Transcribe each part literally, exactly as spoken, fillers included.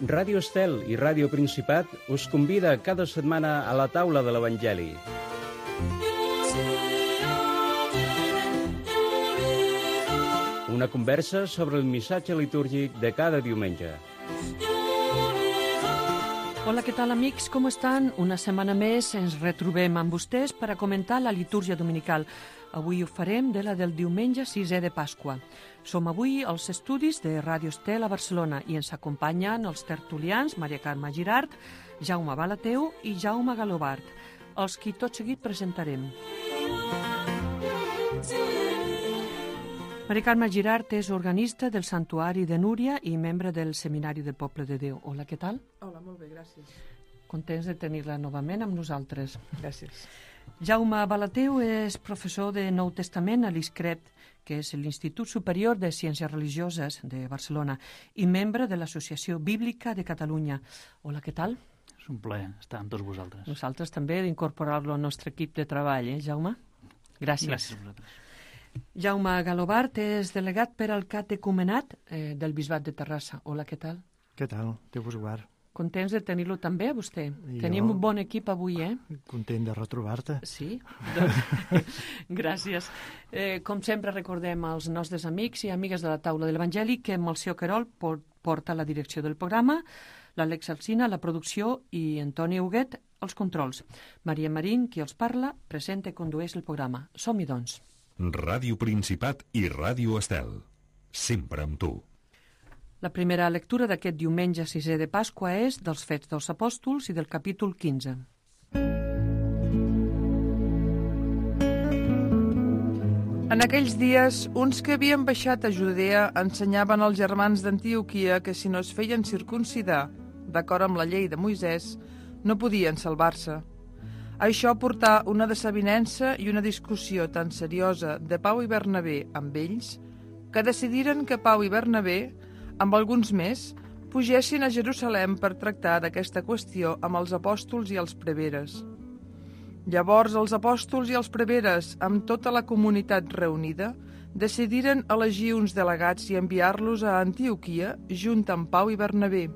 Ràdio Estel i Ràdio Principat us convida cada setmana a la taula de l'Evangeli. Una conversa sobre el missatge litúrgic de cada diumenge. Hola, què tal, amics? Com estan? Una setmana més ens retrobem amb vostès per a comentar la litúrgia dominical. Avui ho farem de la del diumenge sisè de Pasqua. Som avui als estudis de Ràdio Estel a Barcelona i ens acompanyen els tertulians Maria Carme Girart, Jaume Balateu i Jaume Galobart, els qui tot seguit presentarem. Maria Carme Girart és organista del Santuari de Núria i membre del Seminari del Poble de Déu. Hola, què tal? Hola, molt bé, gràcies. Contents de tenir-la novament amb nosaltres. Gràcies. Jaume Balateu és professor de Nou Testament a l'I S C R E P, que és l'Institut Superior de Ciències Religioses de Barcelona, i membre de l'Associació Bíblica de Catalunya. Hola, què tal? És un plaer estar amb tots vosaltres. Nosaltres també d'incorporar-lo al nostre equip de treball, eh, Jaume? Gràcies. Gràcies a vosaltres. Jaume Galobart és delegat per al catecumenat eh, del Bisbat de Terrassa. Hola, què tal? Què tal? Déu vos guard. Contents de tenir-lo també, a vostè. Jo... Tenim un bon equip avui, eh? Content de retrobar-te. Sí? Doncs, gràcies. Eh, com sempre recordem als nostres amics i amigues de la taula de l'Evangeli que Melcior Querol porta la direcció del programa, l'Àlex Alsina, la producció i Antoni Huguet, els controls. Maria Marín, qui els parla, presenta i condueix el programa. Som-hi, doncs. Ràdio Principat i Ràdio Estel. Sempre amb tu. La primera lectura d'aquest diumenge sisè de Pasqua és dels Fets dels Apòstols i del capítol quinze. En aquells dies, uns que havien baixat a Judea ensenyaven als germans d'Antioquia que si no es feien circuncidar, d'acord amb la llei de Moisès, no podien salvar-se. Això portà una desavinença i una discussió tan seriosa de Pau i Bernabé amb ells que decidiren que Pau i Bernabé, amb alguns més, pugessin a Jerusalem per tractar d'aquesta qüestió amb els apòstols i els preveres. Llavors els apòstols i els preveres, amb tota la comunitat reunida, decidiren elegir uns delegats i enviar-los a Antioquia junt amb Pau i Bernabé.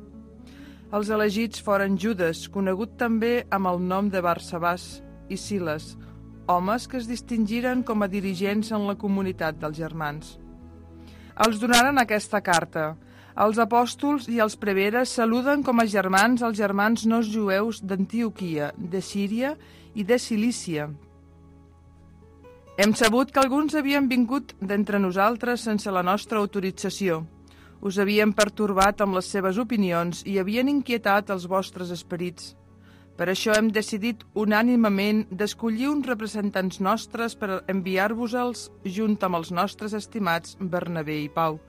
Els elegits foren Judes, conegut també amb el nom de Barsabàs, i Siles, homes que es distingiren com a dirigents en la comunitat dels germans. Els donaren aquesta carta. Els apòstols i els preveres saluden com a germans els germans no jueus d'Antioquia, de Síria i de Cilícia. Hem sabut que alguns havien vingut d'entre nosaltres sense la nostra autorització. Us havien pertorbat amb les seves opinions i havien inquietat els vostres esperits. Per això hem decidit unànimement d'escollir uns representants nostres per enviar-vos-els junt amb els nostres estimats Bernabé i Pau,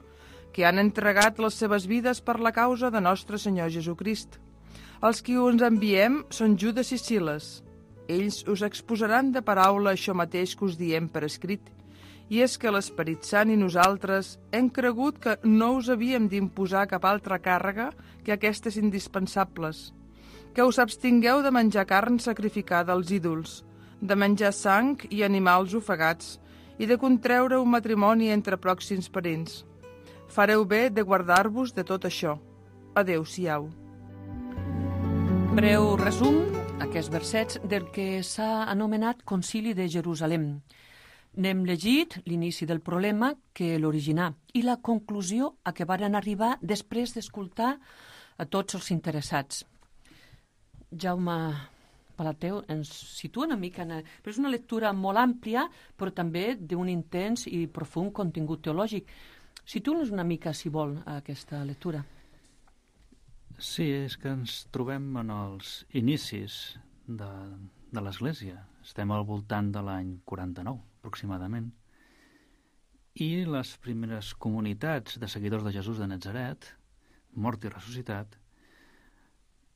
que han entregat les seves vides per la causa de nostre Senyor Jesucrist. Els qui us enviem són Judes i Siles. Ells us exposaran de paraula això mateix que us diem per escrit, i és que l'Esperit Sant i nosaltres hem cregut que no us havíem d'imposar cap altra càrrega que aquestes indispensables, que us abstingueu de menjar carn sacrificada als ídols, de menjar sang i animals ofegats i de contreure un matrimoni entre pròxims parents. Fareu bé de guardar-vos de tot això. Adéu-siau. Breu resum, aquests versets del que s'ha anomenat Concili de Jerusalem. N'hem llegit l'inici del problema que l'originà i la conclusió a què varen arribar després d'escoltar a tots els interessats. Jaume Balateu ens situa una mica... En... Però és una lectura molt àmplia, però també d'un intens i profund contingut teològic. Situa'ns una mica, si vol, a aquesta lectura. Sí, és que ens trobem en els inicis de, de l'Església. Estem al voltant de l'any quaranta-nou, aproximadament. I les primeres comunitats de seguidors de Jesús de Natzaret, mort i ressuscitat,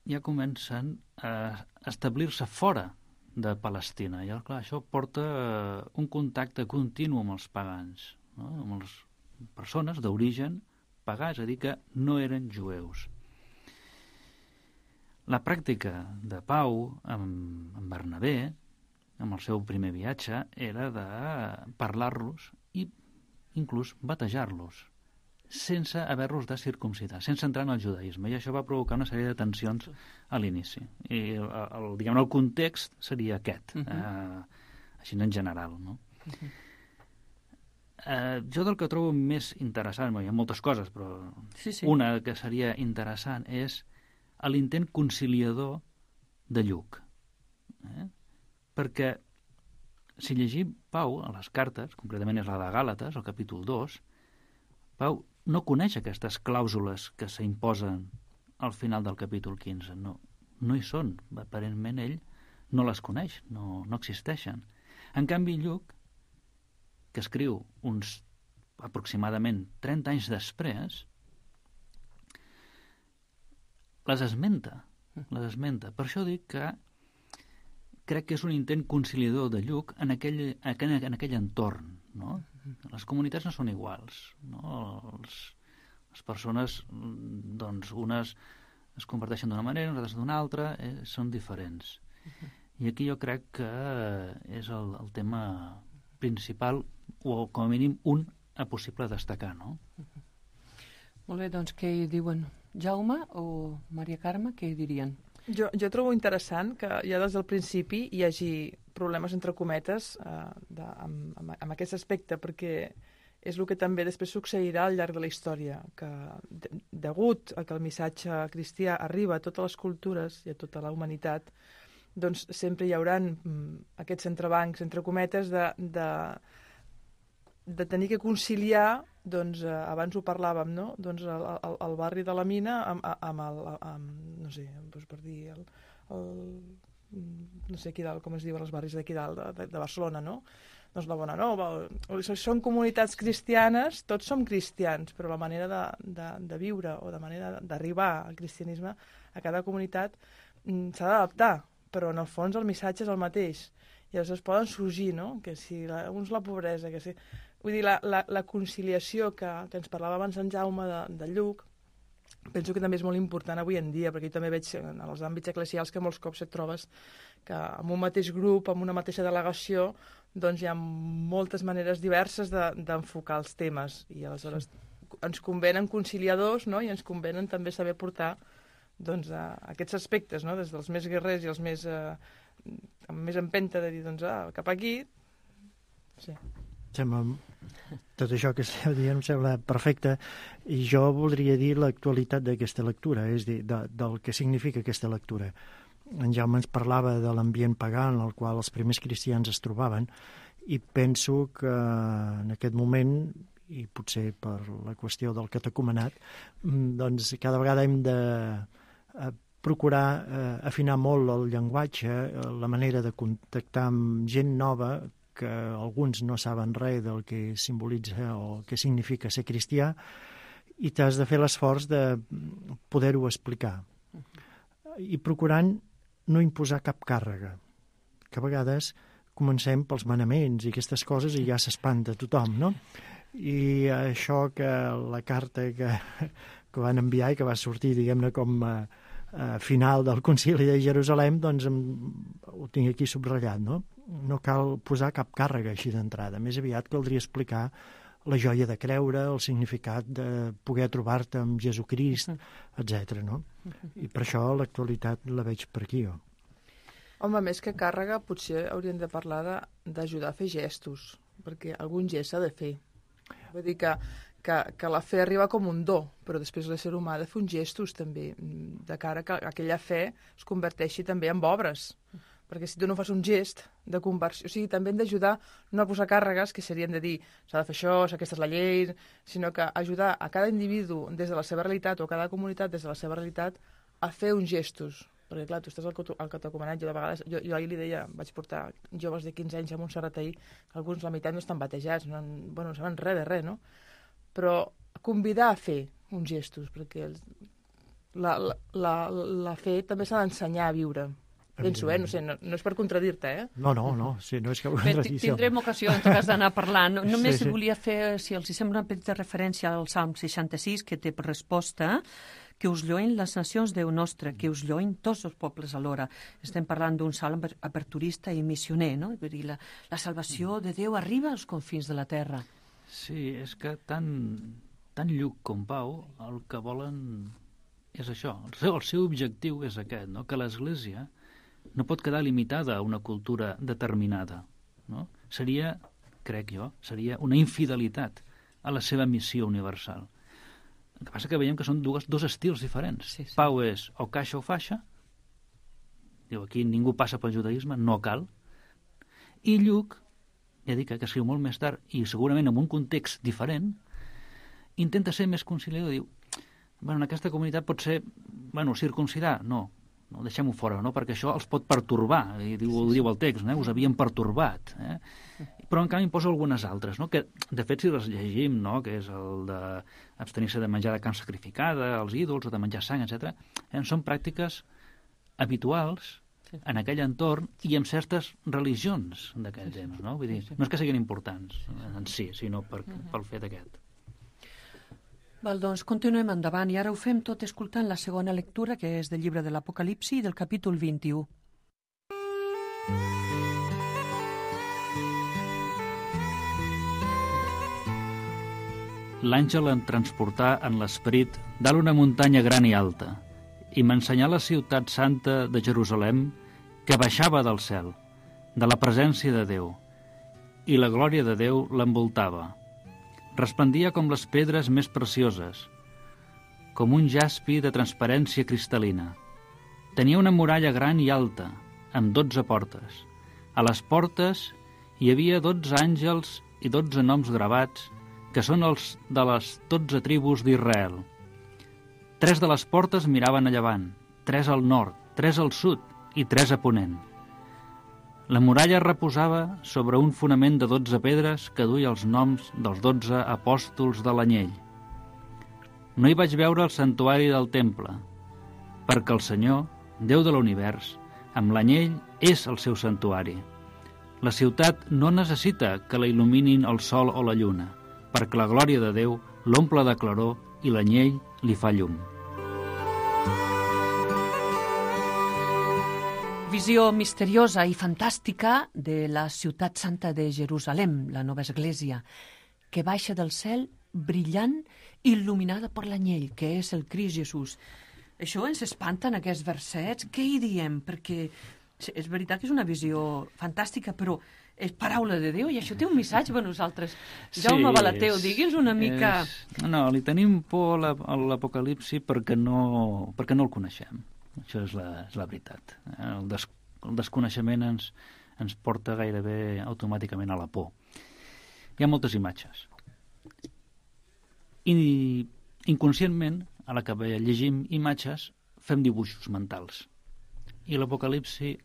ja comencen a establir-se fora de Palestina. I, clar, això porta un contacte continu amb els pagans, no? Amb les persones d'origen pagà, és a dir, que no eren jueus. La pràctica de Pau amb, amb Bernabé, amb el seu primer viatge, era de parlar-los i inclús batejar-los. sense haver-los de circumcidar, sense entrar en el judaïsme, i això va provocar una sèrie de tensions a l'inici. I el, el, diguem, el context seria aquest, uh -huh. eh, així en general, no? Uh -huh. eh, jo del que trobo més interessant, hi ha moltes coses, però sí, sí. una que seria interessant és l'intent conciliador de Lluc. Eh? Perquè si llegim Pau a les cartes, concretament és la de Gàlates, el capítol dos, Pau no coneix aquestes clàusules que s'imposen al final del capítol quinze. No, no hi són. Aparentment ell no les coneix, no, no existeixen. En canvi, Lluc, que escriu uns aproximadament trenta anys després, les esmenta. Les esmenta. Per això dic que crec que és un intent conciliador de Lluc en aquell, en aquell entorn, no? Les comunitats no són iguals, no? Els, les persones, doncs, unes es converteixen d'una manera, unes d'una altra, eh, són diferents. I aquí jo crec que és el, el tema principal, o com a mínim un a possible destacar, no? Molt bé, doncs què hi diuen? Jaume o Maria Carme, què hi dirien? Jo, jo trobo interessant que ja des del principi hi hagi problemes entre cometes eh, de, amb, amb, amb aquest aspecte, perquè és el que també després succeirà al llarg de la història, que de, degut a que el missatge cristià arriba a totes les cultures i a tota la humanitat, doncs sempre hi haurà mm, aquests entrebancs, entre cometes, de, de, de tenir que conciliar, doncs, eh, abans ho parlàvem, no? Doncs el, el, el barri de la Mina amb, amb el, amb, no sé, doncs per dir, el, el, no sé aquí dalt, com es diuen els barris d'aquí dalt, de, de, de Barcelona, no? Doncs la Bonanova, són comunitats cristianes, tots som cristians, però la manera de, de, de viure o la manera d'arribar al cristianisme a cada comunitat s'ha d'adaptar, però en el fons el missatge és el mateix. I llavors es poden sorgir, no? Que si la, uns la pobresa, que si... Vull dir, la, la, la conciliació que, que ens parlava abans en Jaume de, de Lluc, penso que també és molt important avui en dia, perquè jo també veig en els àmbits eclesials que molts cops et trobes que en un mateix grup, en una mateixa delegació, doncs hi ha moltes maneres diverses d'enfocar de, els temes, i aleshores ens convenen conciliadors, no? I ens convenen també saber portar doncs, a aquests aspectes, no? Des dels més guerrers i els més, eh, amb més empenta de dir, doncs, ah, cap aquí... Sí. Sembla, tot això que esteu dient em sembla perfecte, i jo voldria dir l'actualitat d'aquesta lectura, és dir, de, del que significa aquesta lectura. En Jaume ens parlava de l'ambient pagà en el qual els primers cristians es trobaven, i penso que en aquest moment, i potser per la qüestió del catecumenat, doncs cada vegada hem de procurar eh, afinar molt el llenguatge, la manera de contactar amb gent nova, que alguns no saben res del que simbolitza o què significa ser cristià, i t'has de fer l'esforç de poder-ho explicar. I procurant no imposar cap càrrega, que a vegades comencem pels manaments i aquestes coses i ja s'espanta tothom, no? I això que la carta que, que van enviar i que va sortir, diguem-ne, com a, a final del concili de Jerusalem, doncs em, ho tinc aquí subratllat, no? No cal posar cap càrrega així d'entrada. Més aviat caldria explicar la joia de creure, el significat de poder trobar-te amb Jesucrist, etcètera, no? I per això l'actualitat la veig per aquí, jo. Home, més que càrrega, potser hauríem de parlar d'ajudar a fer gestos, perquè algun gest s'ha de fer. Vull dir que, que, que la fe arriba com un do, però després l'ésser humà ha de fer uns gestos també, de cara que aquella fe es converteixi també en obres. Perquè si tu no fas un gest de conversió, o sigui, també hem d'ajudar no a posar càrregues que serien de dir s'ha de fer això, aquesta és la llei, sinó que ajudar a cada individu des de la seva realitat o a cada comunitat des de la seva realitat a fer uns gestos. Perquè, clar, tu estàs al catecumenat, jo de vegades, jo, jo ahir li deia, vaig portar joves de quinze anys a Montserrat ahir, que alguns la meitat no estan batejats, no, bueno, no saben res de res, no? Però convidar a fer uns gestos, perquè els, la, la, la, la fe també s'ha d'ensenyar a viure. Penso, eh? No sé, no, no és per contradir-te, eh? No, no, no, sí, no és que... Bé, tindrem ocasió, en tot cas, d'anar parlant. Només sí, sí. volia fer, si els sembla una petita referència al Salm seixanta-sis, que té per resposta que us lloen les nacions Déu nostre, que us lloen tots els pobles alhora. Estem parlant d'un salm aperturista i missioner, no? Vull dir, la, la salvació de Déu arriba als confins de la terra. Sí, és que tant, tant Lluc com Pau el que volen és això. El seu, el seu objectiu és aquest, no? Que l'Església no pot quedar limitada a una cultura determinada. No? Seria, crec jo, seria una infidelitat a la seva missió universal. El que passa que veiem que són dues, dos estils diferents. Sí, sí. Pau és o caixa o faixa, diu aquí ningú passa pel judaïsme, no cal, i Lluc, ja dic que escriu molt més tard i segurament en un context diferent, intenta ser més conciliador, diu, bueno, en aquesta comunitat pot ser, bueno, circumcidar, no, no deixem-ho fora, no? Perquè això els pot pertorbar, i diu, ho diu el text, no? Us havien pertorbat, eh? Però en canvi posa algunes altres, no? Que de fet si les llegim, no? Que és el d'abstenir-se de menjar de carn sacrificada, els ídols, o de menjar sang, etcètera, eh? Són pràctiques habituals en aquell entorn i en certes religions d'aquell temps, no? Vull dir, no és que siguin importants en si, sinó per, pel fet aquest. Val, doncs continuem endavant i ara ho fem tot escoltant la segona lectura, que és del llibre de l'Apocalipsi del capítol vint-i-u. L'àngel em transportà en l'esperit dalt una muntanya gran i alta i m'ensenyà la ciutat santa de Jerusalem que baixava del cel, de la presència de Déu, i la glòria de Déu l'envoltava. Resplendia com les pedres més precioses, com un jaspi de transparència cristal·lina. Tenia una muralla gran i alta, amb dotze portes. A les portes hi havia dotze àngels i dotze noms gravats, que són els de les dotze tribus d'Israel. Tres de les portes miraven a llevant, tres al nord, tres al sud i tres a ponent. La muralla reposava sobre un fonament de dotze pedres que duia els noms dels dotze apòstols de l'anyell. No hi vaig veure el santuari del temple, perquè el Senyor, Déu de l'univers, amb l'anyell és el seu santuari. La ciutat no necessita que la il·luminin el sol o la lluna, perquè la glòria de Déu l'omple de claror i l'anyell li fa llum. Visió misteriosa i fantàstica de la ciutat santa de Jerusalem, la nova església, que baixa del cel brillant, il·luminada per l'anyell, que és el Crist Jesús. Això ens espanta en aquests versets. Què hi diem? Perquè és veritat que és una visió fantàstica, però és paraula de Déu i això té un missatge per nosaltres. Jaume Sí, Balateu, és- digui'ns una mica... És... No, li tenim por a la- a l'Apocalipsi perquè no, perquè no el coneixem. Això és la, és la veritat. Eh? El, des, el desconeixement ens, ens porta gairebé automàticament a la por. Hi ha moltes imatges. I inconscientment, a la que llegim imatges, fem dibuixos mentals. I a l'Apocalipsi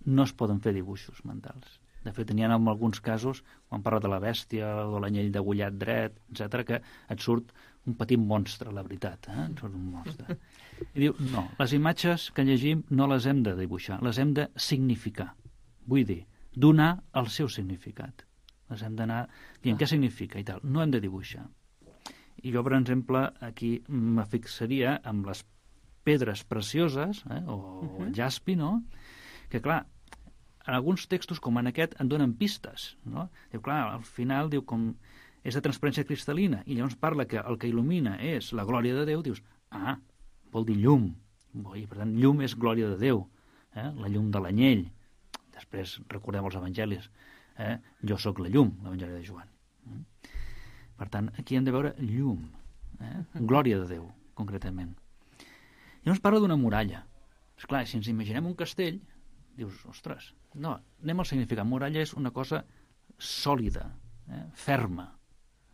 no es poden fer dibuixos mentals. De fet, n'hi ha en alguns casos, quan parla de la bèstia o de l'anyell degollat dret, etcètera, que et surt un petit monstre, la veritat. Eh? Et surt un monstre. I diu, no, les imatges que llegim no les hem de dibuixar, les hem de significar. Vull dir, donar el seu significat. Les hem d'anar dient què significa i tal. No hem de dibuixar. I jo, per exemple, aquí me fixaria amb les pedres precioses, eh, o uh-huh. el jaspi, no? Que, clar, en alguns textos, com en aquest, en donen pistes, no? Diu, clar, al final, diu, com és de transparència cristal·lina, i llavors parla que el que il·lumina és la glòria de Déu, dius, ah, vol dir llum. I, per tant, llum és glòria de Déu, eh? La llum de l'anyell. Després recordem els evangelis, eh? Jo sóc la llum, l'evangeli de Joan. Per tant, aquí hem de veure llum, eh? Glòria de Déu, concretament. Llavors parla d'una muralla. Esclar, si ens imaginem un castell, dius, ostres, no, anem al significat. Muralla és una cosa sòlida, eh? ferma.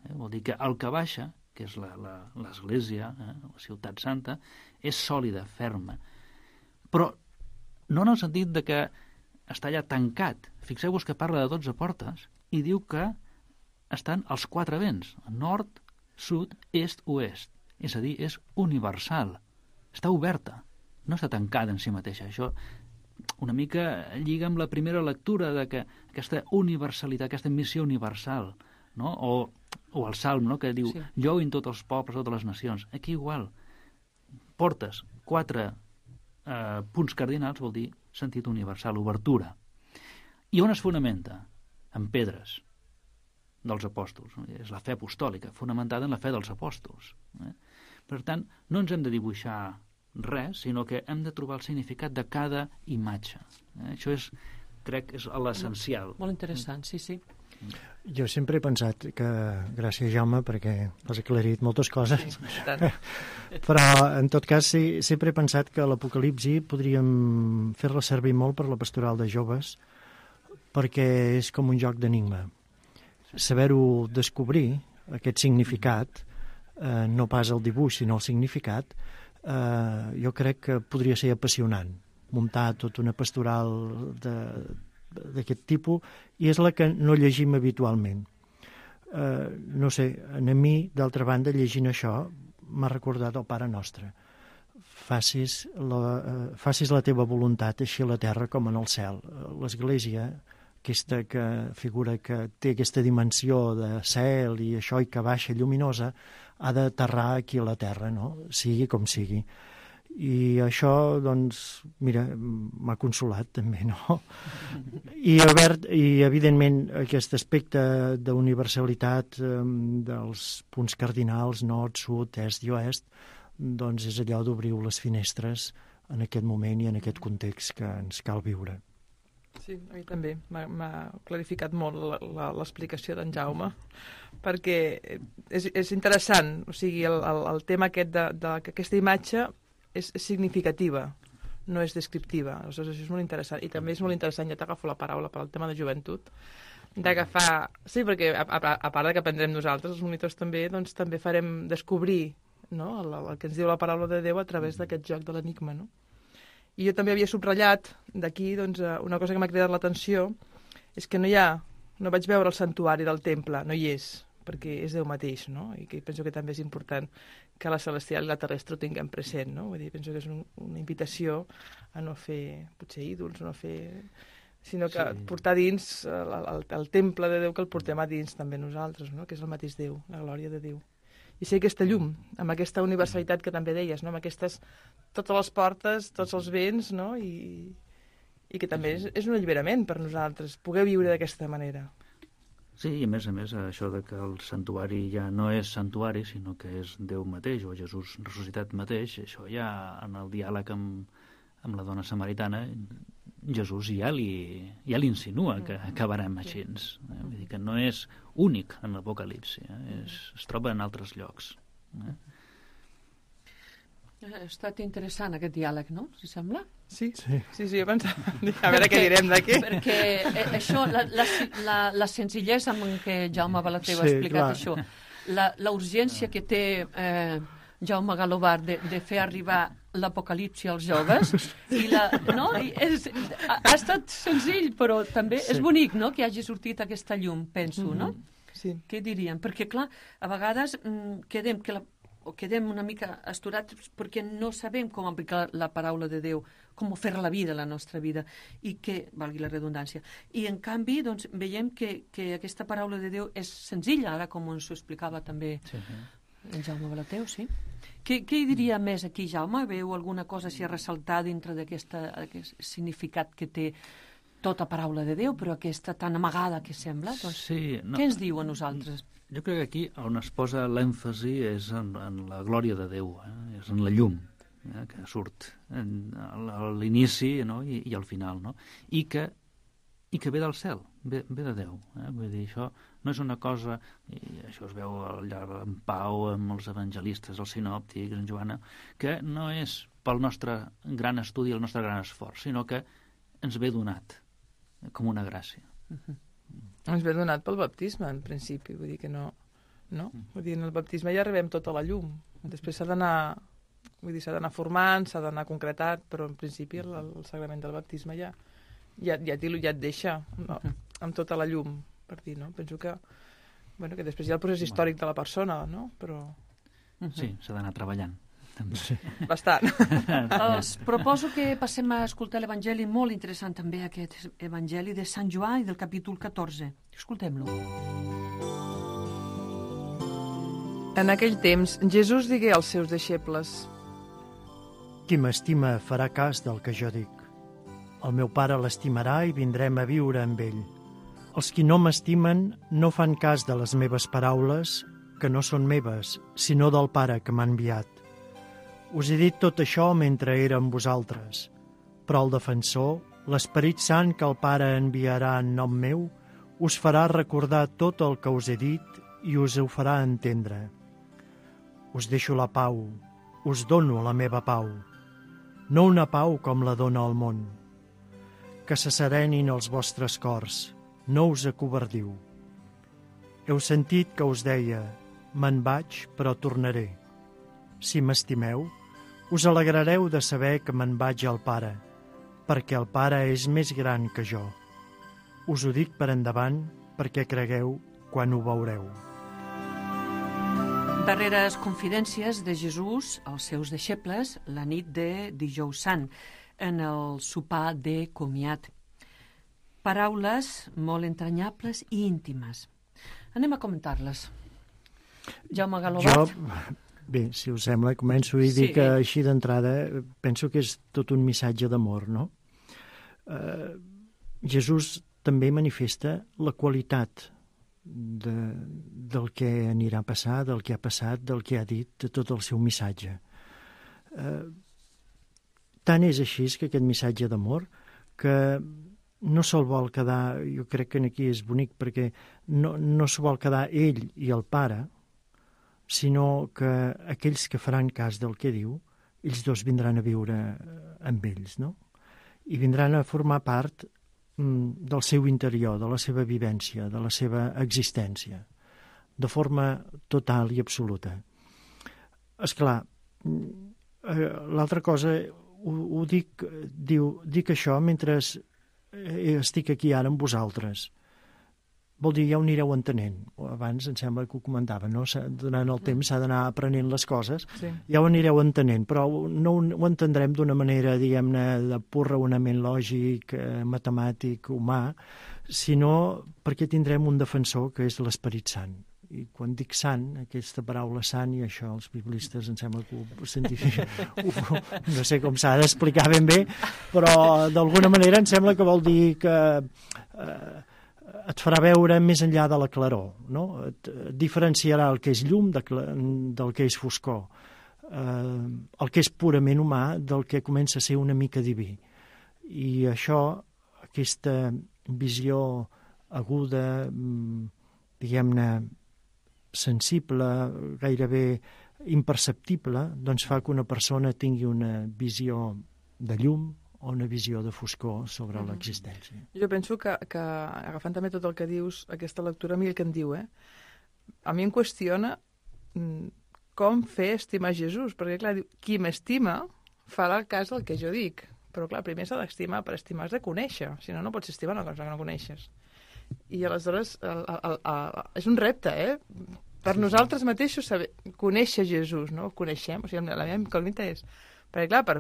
Eh? Vol dir que el que baixa, que és l'església, eh? la ciutat santa, és sòlida, ferma. Però no en el sentit de que està allà tancat. Fixeu-vos que parla de dotze portes i diu que estan als quatre vents, nord, sud, est, oest. És a dir, és universal. Està oberta, no està tancada en si mateixa. Això una mica lliga amb la primera lectura de que aquesta universalitat, aquesta missió universal, no? o, o el Salm, no? Que diu, sí. Lloin tots els pobles, totes les nacions. Aquí igual. Portes quatre eh, punts cardinals, vol dir sentit universal, obertura. I on es fonamenta? En pedres. dels apòstols. No? És la fe apostòlica, fonamentada en la fe dels apòstols. Eh? Per tant, no ens hem de dibuixar res, sinó que hem de trobar el significat de cada imatge. Eh? Això és, crec, és l'essencial. Molt interessant, sí, sí. Jo sempre he pensat que, gràcies Jaume, perquè has aclarit moltes coses, sí, però en tot cas sí, sempre he pensat que l'Apocalipsi podríem fer-la servir molt per la pastoral de joves, perquè és com un joc d'enigma. Saber-ho descobrir, aquest significat, eh, no pas el dibuix, sinó el significat, eh, jo crec que podria ser apassionant, muntar tota una pastoral de d'aquest tipus, i és la que no llegim habitualment. Eh, no sé, a mi, d'altra banda, llegint això, m'ha recordat el Pare Nostre. Facis la, eh, facis la teva voluntat així a la terra com en el cel. L'Església, aquesta que figura que té aquesta dimensió de cel i això, i que baixa lluminosa, ha d'aterrar aquí a la terra, no? Sigui com sigui. I això, doncs, mira, m'ha consolat també, no? I, obert, i evidentment, aquest aspecte d'universalitat eh, dels punts cardinals, nord, sud, est i oest, doncs és allò d'obrir les finestres en aquest moment i en aquest context que ens cal viure. Sí, a mi també. M'ha clarificat molt l'explicació d'en Jaume, perquè és, és interessant, o sigui, el, el, el tema aquest de, de que aquesta imatge és significativa, no és descriptiva. Aleshores, això és molt interessant. I també és molt interessant, ja t'agafo la paraula per al tema de joventut, d'agafar... Sí, perquè a, a, a part de que aprendrem nosaltres, els monitors també, doncs també farem descobrir, no?, el, el que ens diu la paraula de Déu a través d'aquest joc de l'enigma, no? I jo també havia subratllat d'aquí, doncs, una cosa que m'ha cridat l'atenció és que no hi ha... No vaig veure el santuari del temple, no hi és, perquè és Déu mateix, no? I que penso que també és important que la celestial i la terrestre ho tinguem present, no? Vull dir, penso que és un, una invitació a no fer, potser ídols, no fer... sinó que sí. Portar dins el, el, el temple de Déu, que el portem a dins també nosaltres, no? Que és el mateix Déu, la glòria de Déu. I ser aquesta llum, amb aquesta universalitat que també deies, no? Amb aquestes, totes les portes, tots els vents, no? I, i que també és, és un alliberament per nosaltres, poder viure d'aquesta manera. Sí, i a més a més, això de que el santuari ja no és santuari, sinó que és Déu mateix, o Jesús ressuscitat mateix, això ja en el diàleg amb, amb la dona samaritana, Jesús ja li, ja li insinua que acabarem així. Eh? Vull dir que no és únic en l'Apocalipsi, eh? es, es troba en altres llocs. Eh? Ha estat interessant aquest diàleg, no? Si sembla? Sí, sí, sí, sí, jo pensava, a veure què direm d'aquí. Perquè eh, això, la, la, la, la senzillesa amb què Jaume Balater ha explicat clar. Això, la, la urgència que té eh, Jaume Galobar de, de fer arribar l'apocalipsi als joves, i la, no? I és, ha, ha estat senzill, però també sí. És bonic, no?, que hagi sortit aquesta llum, penso, mm-hmm. no? Sí. Què diríem? Perquè, clar, a vegades mm, quedem que la o quedem una mica asturats perquè no sabem com aplicar la paraula de Déu, com fer la vida, la nostra vida, i que, valgui la redundància, i en canvi doncs, veiem que, que aquesta paraula de Déu és senzilla, ara com ens ho explicava també sí, sí. en Jaume Balater, sí? Què, què hi diria més aquí, Jaume? Veu alguna cosa així a ressaltar dintre d'aquest significat que té tota paraula de Déu, però aquesta tan amagada que sembla? Doncs, sí, no. Què ens diu a nosaltres? Jo crec que aquí on es posa l'èmfasi és en, en la glòria de Déu, eh? És en la llum eh? que surt en, a l'inici, no? I, i al final, no? I que, i que ve del cel, ve, ve de Déu. Eh? Vull dir, això no és una cosa, i això es veu allà en Pau, amb els evangelistes, els sinòptics, en Joana, que no és pel nostre gran estudi, el nostre gran esforç, sinó que ens ve donat com una gràcia. Uh-huh. Ens ve donat pel baptisme, en principi, vull dir que no, no? Vull dir, en el baptisme ja arribem tota la llum. Després s'ha d'anar, vull dir, s'ha d'anar formant, s'ha d'anar concretat, però en principi el, el sagrament del baptisme ja, ja, ja, ja et deixa no? Amb tota la llum, per dir, no? Penso que, bueno, que després hi ha el procés històric de la persona, no? Però... Sí, s'ha d'anar treballant. Sí. Bastant. Els proposo que passem a escoltar l'Evangeli, molt interessant també aquest Evangeli de Sant Joan i del capítol catorze. Escoltem-lo. En aquell temps, Jesús digué als seus deixebles: Qui m'estima farà cas del que jo dic. El meu Pare l'estimarà i vindrem a viure amb ell. Els qui no m'estimen no fan cas de les meves paraules, que no són meves, sinó del Pare que m'ha enviat. Us he dit tot això mentre era amb vosaltres, però el defensor, l'Esperit Sant que el Pare enviarà en nom meu, us farà recordar tot el que us he dit i us ho farà entendre. Us deixo la pau, us dono la meva pau, no una pau com la dona el món. Que se serenin els vostres cors, no us acovardiu. Heu sentit que us deia, me'n vaig, però tornaré. Si m'estimeu, us alegrareu de saber que me'n vaig al Pare, perquè el Pare és més gran que jo. Us ho dic per endavant, perquè cregueu quan ho veureu. Darreres confidències de Jesús als seus deixebles la nit de Dijous Sant, en el sopar de comiat. Paraules molt entranyables i íntimes. Anem a comentar-les. Jaume Galobat. Jo, bé, si us sembla, començo i Sí. dic que així d'entrada penso que és tot un missatge d'amor, no? Uh, Jesús també manifesta la qualitat de, del que anirà a passar, del que ha passat, del que ha dit, de tot el seu missatge. Uh, tant és així que aquest missatge d'amor que no se'l vol quedar, jo crec que aquí és bonic perquè no, no s'ho vol quedar ell i el Pare, sinó que aquells que faran cas del que diu, ells dos vindran a viure amb ells, no? I vindran a formar part mm, del seu interior, de la seva vivència, de la seva existència, de forma total i absoluta. Esclar, l'altra cosa, ho, ho dic, diu, dic això mentre estic aquí ara amb vosaltres. Vol dir, ja ho anireu entenent. Abans em sembla que ho comentava, no? Durant el temps s'ha d'anar aprenent les coses, sí. Ja ho anireu entenent, però no ho entendrem d'una manera, diguem-ne, de pur raonament lògic, eh, matemàtic, humà, sinó perquè tindrem un defensor que és l'Esperit Sant. I quan dic sant, aquesta paraula sant, i això els biblistes em sembla que ho científic, no sé com s'ha d'explicar ben bé, però d'alguna manera em sembla que vol dir que eh, et farà veure més enllà de la claror, no? Et diferenciarà el que és llum de, del que és foscor, eh, el que és purament humà del que comença a ser una mica diví. I això, aquesta visió aguda, diguem-ne, sensible, gairebé imperceptible, doncs fa que una persona tingui una visió de llum o una visió de foscor sobre mm-hmm. l'existència. Jo penso que, que, agafant també tot el que dius, aquesta lectura, a mi el que em diu, eh? A mi em qüestiona com fer estimar Jesús, perquè, clar, diu, qui m'estima farà el cas del que jo dic, però, clar, primer s'ha d'estimar, per estimar has de conèixer, si no, no pots estimar una cosa que no coneixes. I aleshores el, el, el, el, és un repte, eh? Per nosaltres mateixos saber, conèixer Jesús, no? El coneixem, o sigui, la meva incògnita és... Perquè, clar, per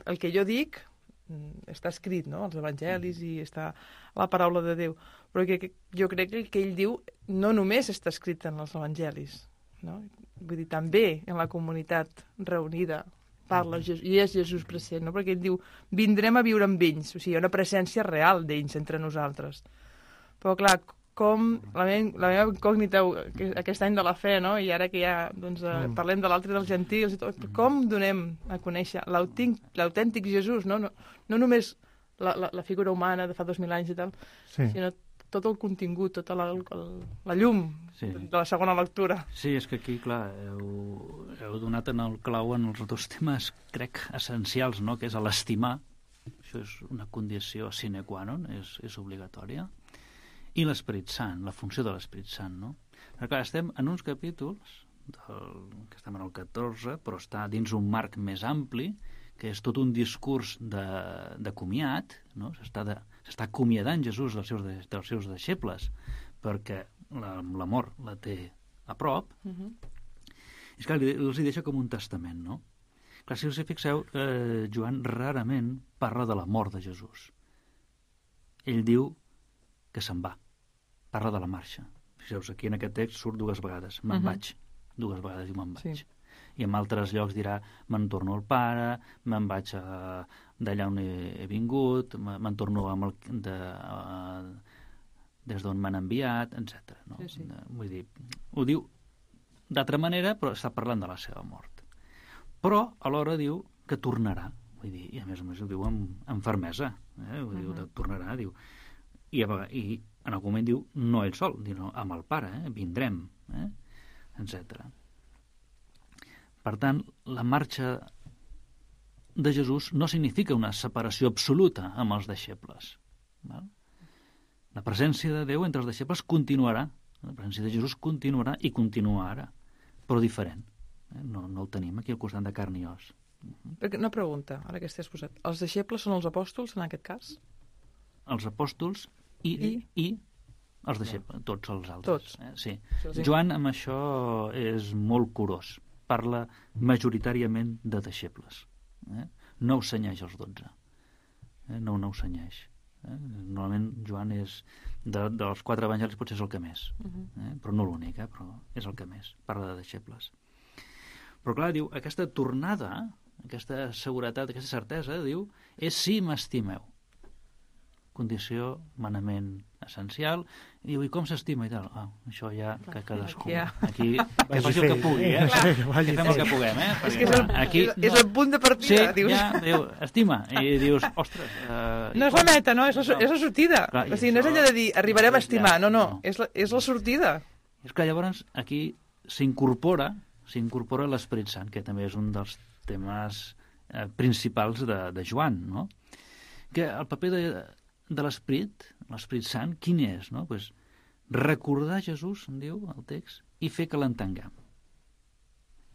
el que jo dic està escrit, no?, als evangelis i està la paraula de Déu, però que, que jo crec que el que ell diu no només està escrit en els evangelis, no? Vull dir, també en la comunitat reunida parla Jesús, i és Jesús present, no? Perquè ell diu, vindrem a viure amb ells, o sigui, hi ha una presència real d'ells entre nosaltres. Però, clar, com la meva, la meva incògnita aquest any de la fe, no? I ara que ja doncs, eh, parlem de l'altre dels gentils i tot, com donem a conèixer l'autèntic Jesús, no? No, no només la, la, la figura humana de fa dos mil anys i tal, sí. Sinó tot el contingut, tota la, la llum sí. De la segona lectura. Sí, és que aquí, clar, heu, heu donat en el clau en els dos temes, crec, essencials, no?, que és l'estimar, això és una condició sine qua non, és, és obligatòria, i l'Esperit Sant, la funció de l'Esperit Sant, no? Però clar, estem en uns capítols, del, que estem en el catorze, però està dins un marc més ampli, que és tot un discurs de, de comiat, no? S'està de, s'està acomiadant Jesús dels seus, de, dels seus deixebles, perquè l'amor la té a prop. Uh-huh. I clar, els hi deixa com un testament, no? Clar, si us hi fixeu, eh, Joan rarament parla de la mort de Jesús. Ell diu que se'n va, parla de la marxa. Fixeu-vos, aquí en aquest text surt dues vegades, me'n uh-huh. vaig, dues vegades diu me'n vaig. Sí. I en altres llocs dirà, me'n torno al Pare, me'n vaig d'allà on he, he vingut, me'n torno amb el, de, uh, des d'on m'han enviat, etcètera. No? Sí, sí. Vull dir, ho diu d'altra manera, però està parlant de la seva mort. Però alhora diu que tornarà. Vull dir, i a més a més ho diu amb, amb fermesa. Eh? Ho diu, uh-huh. tornarà, diu. I, a, I en algun moment diu, no ell sol, diu, no, amb el pare, eh? vindrem, eh? etcètera. Per tant, la marxa de Jesús no significa una separació absoluta amb els deixebles. Val? La presència de Déu entre els deixebles continuarà. La presència de Jesús continuarà i continua ara, però diferent. Eh? No, no el tenim aquí al costat de carn i os. Perquè una pregunta, ara que estàs posat. Els deixebles són els apòstols, en aquest cas? Els apòstols i, I? i els deixebles, tots els altres. Tots. Eh? Sí. Sí. Joan amb això és molt curós. Parla majoritàriament de deixebles. Eh? No ho senyeix els dotze. Eh? No, no ho senyeix. Eh? Normalment Joan és de, dels quatre evangelis potser és el que més. Uh-huh. Eh? Però no l'únic, eh? Però és el que més. Parla de deixebles. Però clar, diu, aquesta tornada, aquesta seguretat, aquesta certesa, diu, és si m'estimeu. Condició, manament essencial. I diu, i com s'estima i tal? Ah, això ja que cadascú... Aquí, ja. Aquí que faci el que pugui, eh? Clar. Que fem el que puguem, eh? És que és el, aquí, és, és el punt de partida, sí, dius. ja, diu, estima. I dius, ostres... Uh, No és la meta, no, és la, és la sortida. Clar, o sigui, no és això- allò de dir, arribarem a estimar, no, no, No. és la, és la sortida. És que llavors aquí s'incorpora s'incorpora l'Esperit Sant, que també és un dels temes eh, principals de, de Joan, no? Que el paper de, de l'Esperit, l'Esperit Sant, quin és, no? Pues recordar Jesús, em diu el text, i fer que l'entenguem.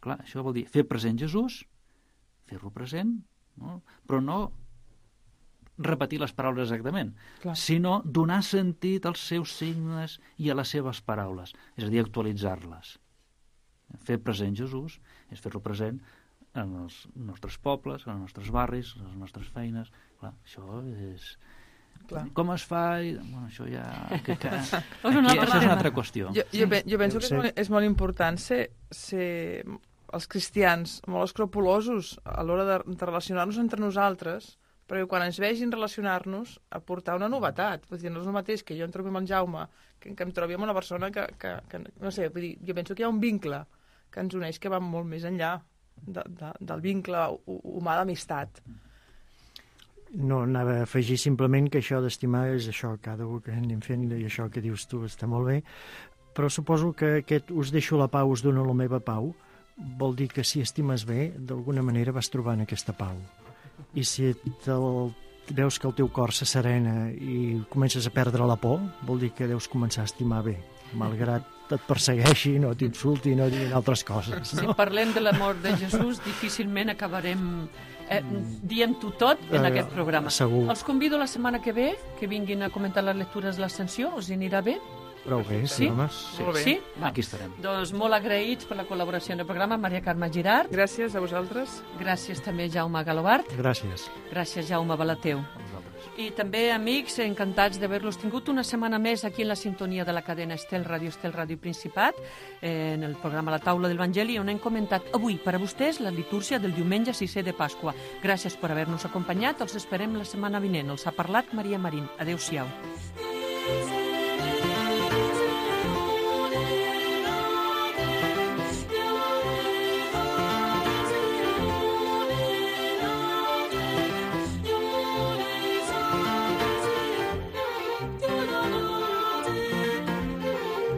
Clar, això vol dir fer present Jesús, fer-lo present, no? Però no repetir les paraules exactament, Clar. sinó donar sentit als seus signes i a les seves paraules, és a dir, actualitzar-les. Fer present Jesús és fer-lo present en els nostres pobles, en els nostres barris, en les nostres feines. Clar, això és... Clar. Com es fa? I... Bueno, això ja... Que, que... És Aquí, un altre això és una tema. altra qüestió. Jo, jo, pe- jo penso Deu que és ser. molt, és molt important ser, ser els cristians molt escrupulosos a l'hora de, de relacionar-nos entre nosaltres, perquè quan ens vegin relacionar-nos, aportar una novetat. Vull dir, no és el mateix que jo em trobi amb el Jaume, que, que em trobi amb una persona que, que, que... No sé, vull dir, jo penso que hi ha un vincle que ens uneix que va molt més enllà de, de, del vincle hu- humà d'amistat. No, anava a afegir simplement que això d'estimar és això, cada un que anem fent, i això que dius tu està molt bé, però suposo que aquest us deixo la pau, us dono la meva pau, vol dir que si estimes bé, d'alguna manera vas trobant aquesta pau. I si te'l, veus que el teu cor se serena i comences a perdre la por, vol dir que deus començar a estimar bé, malgrat et persegueixi, no t'insulti, no diguin altres coses. Si No? parlem de l'amor de Jesús, difícilment acabarem eh, dient-ho tot en Eh, aquest programa. segur. Els convido la setmana que ve que vinguin a comentar les lectures de l'Ascensió. Us hi anirà bé? Prou bé, sí, Sí? home. Molt bé. Sí? Va. Aquí estarem. Doncs molt agraïts per la col·laboració en el programa, Maria Carme Girard. Gràcies a vosaltres. Gràcies també, Jaume Galobart. Gràcies. Gràcies, Jaume Balateu. A vosaltres. I també, amics, encantats d'haver-los tingut una setmana més aquí en la sintonia de la cadena Estel Ràdio, Estel Ràdio Principat, eh, en el programa La Taula del Vangeli, on hem comentat avui per a vostès la litúrgia del diumenge sisè de Pasqua. Gràcies per haver-nos acompanyat. Els esperem la setmana vinent. Els ha parlat Maria Marín. Adéu-siau.